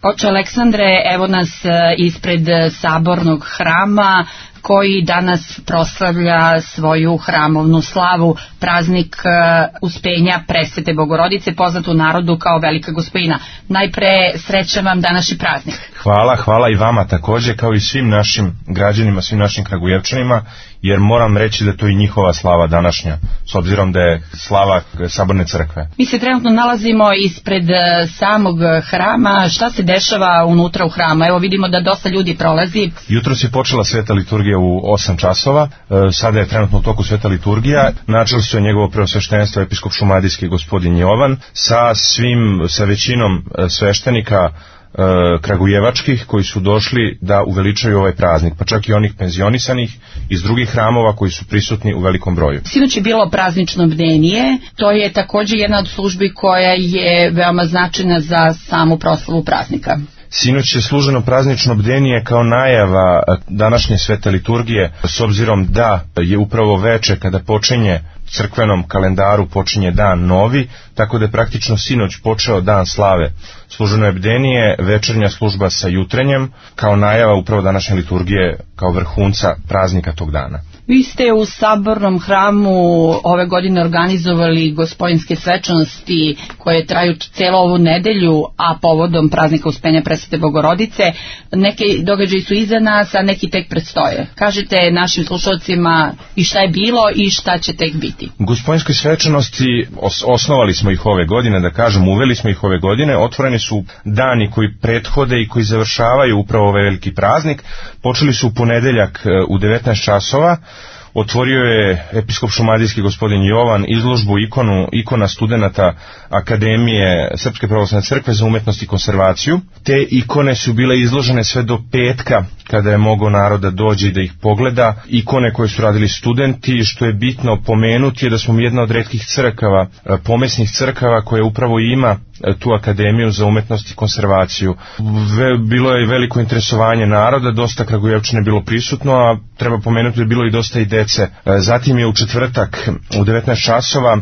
Oče Aleksandre, evo nas ispred Sabornog hrama koji danas proslavlja svoju hramovnu slavu, praznik Uspenja Presvete Bogorodice, poznat u narodu kao Velika Gospojina. Najpre srećan vam današnji praznik. Hvala i vama također, kao i svim našim građanima, svim našim Kragujevčanima, jer moram reći da to i njihova slava današnja, s obzirom da je slava Saborne crkve. Mi se trenutno nalazimo ispred samog hrama. Šta se dešava unutra u hramu? Evo vidimo da dosta ljudi prolazi. Jutros je počela sveta liturgija u 8 časova, sada je trenutno u toku sveta liturgija. Načelstvo je njegovo preosveštenstvo episkop šumadijski gospodin Jovan sa većinom sveštenika kragujevačkih koji su došli da uveličaju ovaj praznik, pa čak i onih penzionisanih iz drugih hramova koji su prisutni u velikom broju. Sinoć je bilo praznično bdenije, to je također jedna od službi koja je veoma značajna za samu proslavu praznika. Sinoć je služeno praznično bdenije kao najava današnje svete liturgije, s obzirom da je upravo veče kada počinje crkvenom kalendaru počinje dan novi, tako da je praktično sinoć počeo dan slave. Služeno je bdenije, večernja služba sa jutrenjem, kao najava upravo današnje liturgije, kao vrhunca praznika tog dana. Vi ste u Sabornom hramu ove godine organizovali gospodinske svečanosti koje traju cijelu ovu nedelju, a povodom praznika Uspenja Presvete Bogorodice. Neki događaji su iza nas, a neki tek predstoje. Kažite našim slušalcima i šta je bilo i šta će tek biti. Gospodinske svečanosti osnovali smo ih ove godine, da kažem, uveli smo ih ove godine. Otvoreni su dani koji prethode i koji završavaju upravo ovaj veliki praznik. Počeli su u ponedeljak u 19 časova. Otvorio je episkop šumadijski gospodin Jovan izložbu ikona studenata Akademije Srpske pravoslavne crkve za umetnost i konservaciju. Te ikone su bile izložene sve do petka, kada je mogao naroda dođe i da ih pogleda. Ikone koje su radili studenti, što je bitno pomenuti je da smo jedna od retkih crkava, pomesnih crkava koja upravo ima tu Akademiju za umetnost i konservaciju. Bilo je veliko interesovanje naroda, dosta Kragujevčana je bilo prisutno, a treba pomenuti da je bilo i dosta i dece. Zatim je u četvrtak u 19 časova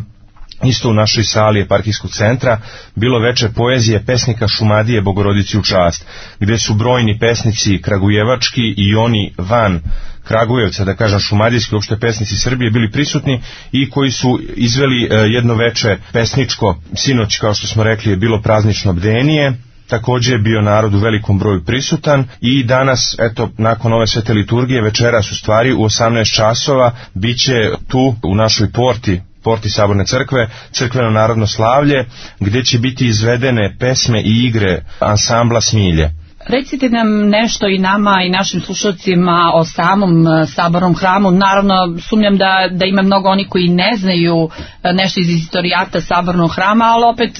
isto u našoj sali eparhijskog centra bilo veče poezije pesnika Šumadije Bogorodici u čast, gdje su brojni pesnici kragujevački i oni van Kragujevca, da kažem šumadijski, uopšte pesnici Srbije bili prisutni i koji su izveli jedno veče pesničko. Sinoć, kao što smo rekli, je bilo praznično bdenije. Također je bio narod u velikom broju prisutan i danas, eto, nakon ove svete liturgije, večeras u stvari u 18 časova bit će tu u našoj porti Saborne crkve crkveno narodno slavlje, gdje će biti izvedene pesme i igre ansambla Smilje. Recite nam nešto i nama i našim slušalcima o samom Sabornom hramu. Naravno, sumnjam da ima mnogo oni koji ne znaju nešto iz istorijata Sabornog hrama, ali opet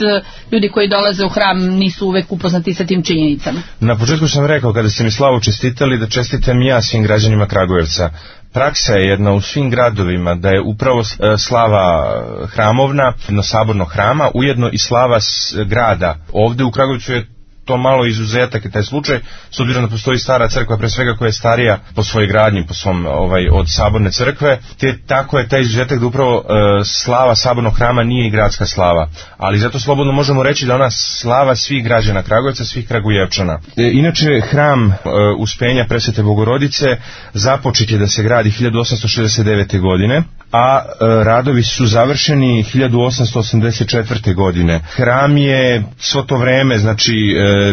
ljudi koji dolaze u hram nisu uvek upoznati sa tim činjenicama. Na početku sam rekao, kada ste mi slavu čestitali, da čestitam ja svim građanima Kragujevca. Praksa je jedna u svim gradovima da je upravo slava hramovna, jedno Sabornog hrama, ujedno i slava grada. Ovdje u Kragujevcu je to malo izuzetak je taj slučaj, s obzirom da postoji stara crkva, pre svega koja je starija po svojoj gradnji, po svom od Saborne crkve, te tako je taj izuzetak da upravo slava Sabornog hrama nije i gradska slava, ali zato slobodno možemo reći da ona slava svih građana Kragujevca, svih Kragujevčana. Inače, hram Uspenja Presvete Bogorodice započet je da se gradi 1869. godine, a radovi su završeni 1884. godine. Hram je svo to vreme, znači,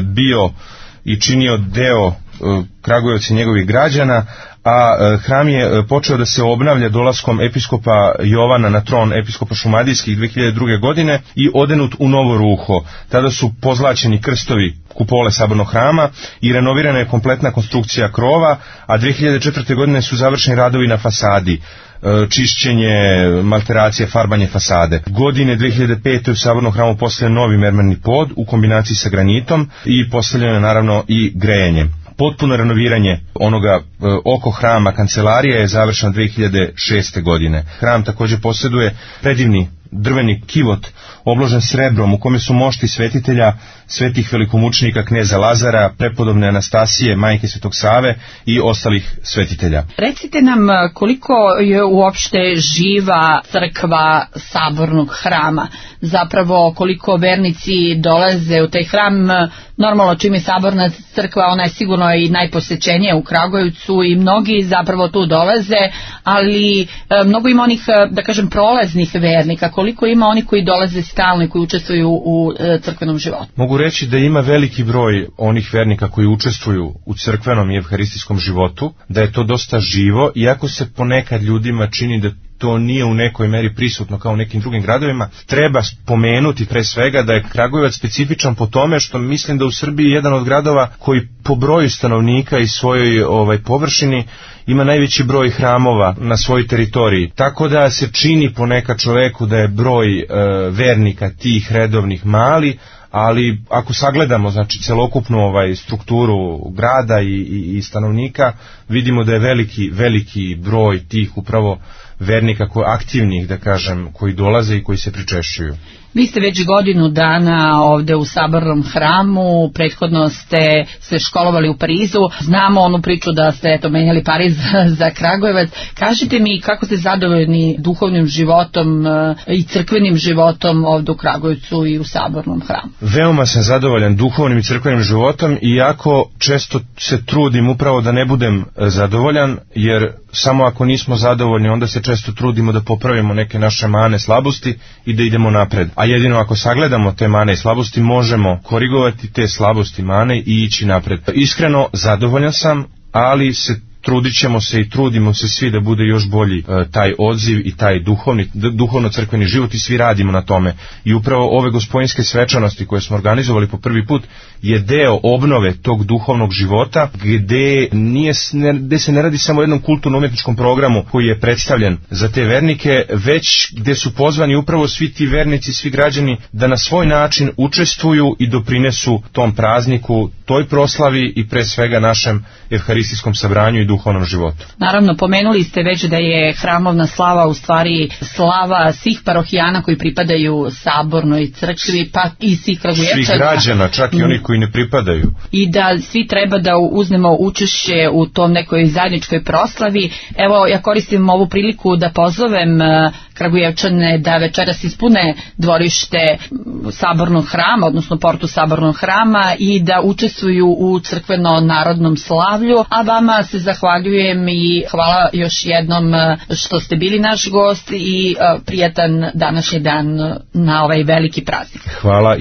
bio i činio deo Kragujevca i njegovih građana, a hram je počeo da se obnavlja dolaskom episkopa Jovana na tron episkopa šumadijskih 2002. godine i odenut u novo ruho. Tada su pozlaćeni krstovi kupole Sabornog hrama i renovirana je kompletna konstrukcija krova, a 2004. godine su završeni radovi na fasadi, čišćenje, malteracije, farbanje fasade. Godine 2005. u Sabornom hramu postavljen novi mermerni pod u kombinaciji sa granitom i postavljeno je naravno i grejenje. Potpuno renoviranje onoga oko hrama kancelarija je završeno 2006. godine. Hram također posjeduje predivni drveni kivot obložen srebrom u kome su mošti svetitelja, svetih velikomučenika kneza Lazara, prepodobne Anastasije, majke Svetog Save i ostalih svetitelja. Recite nam koliko je uopšte živa crkva Sabornog hrama, zapravo koliko vernici dolaze u taj hram. Normalno, čim je Saborna crkva, ona je sigurno i najposećenija u Kragujevcu i mnogi zapravo tu dolaze, ali mnogo ima onih, da kažem, prolaznih vernika. Koliko ima oni koji dolaze stalno i koji učestvuju u crkvenom životu? Mogu reći da ima veliki broj onih vernika koji učestvuju u crkvenom i evharistijskom životu, da je to dosta živo, iako se ponekad ljudima čini da to nije u nekoj meri prisutno kao u nekim drugim gradovima. Treba spomenuti pre svega da je Kragujevac specifičan po tome što mislim da u Srbiji je jedan od gradova koji po broju stanovnika i svojoj površini ima najveći broj hramova na svojoj teritoriji. Tako da se čini ponekad čoveku da je broj vernika tih redovnih mali, ali ako sagledamo znači celokupnu strukturu grada i stanovnika, vidimo da je veliki broj tih upravo vernika aktivnih, da kažem, koji dolaze i koji se pričešćuju. Vi ste već godinu dana ovde u Sabornom hramu, prethodno ste se školovali u Parizu, znamo onu priču da ste menjali Pariz za Kragujevac. Kažite mi kako ste zadovoljni duhovnim životom i crkvenim životom ovde u Kragujevcu i u Sabornom hramu? Veoma sam zadovoljan duhovnim i crkvenim životom, iako često se trudim upravo da ne budem zadovoljan, jer samo ako nismo zadovoljni onda se često trudimo da popravimo neke naše mane, slabosti i da idemo napred. A jedino ako sagledamo te mane i slabosti možemo korigovati te slabosti, mane i ići napred. Iskreno zadovoljan sam, ali trudit ćemo se i trudimo se svi da bude još bolji taj odziv i taj duhovno-crkveni život i svi radimo na tome. I upravo ove gospojinske svečanosti koje smo organizovali po prvi put je deo obnove tog duhovnog života gde se ne radi samo o jednom kulturno-umjetničkom programu koji je predstavljen za te vernike, već gde su pozvani upravo svi ti vernici, svi građani da na svoj način učestvuju i doprinesu tom prazniku, toj proslavi i pre svega našem evharistijskom sabranju i duhovnom životu. Naravno, pomenuli ste već da je hramovna slava u stvari slava svih parohijana koji pripadaju Sabornoj crkvi, pa i svih Kragujevčana. Svih građana, čak i onih koji ne pripadaju. I da svi treba da uzmemo učešće u tom nekoj zajedničkoj proslavi. Evo, ja koristim ovu priliku da pozovem Kragujevčane da večeras ispune dvorište Sabornog hrama, odnosno portu Sabornog hrama i da učestvuju u crkveno-narodnom slavlju, a vama se zahvaljujem i hvala još jednom što ste bili naš gost i prijatan današnji dan na ovaj veliki praznik. Hvala.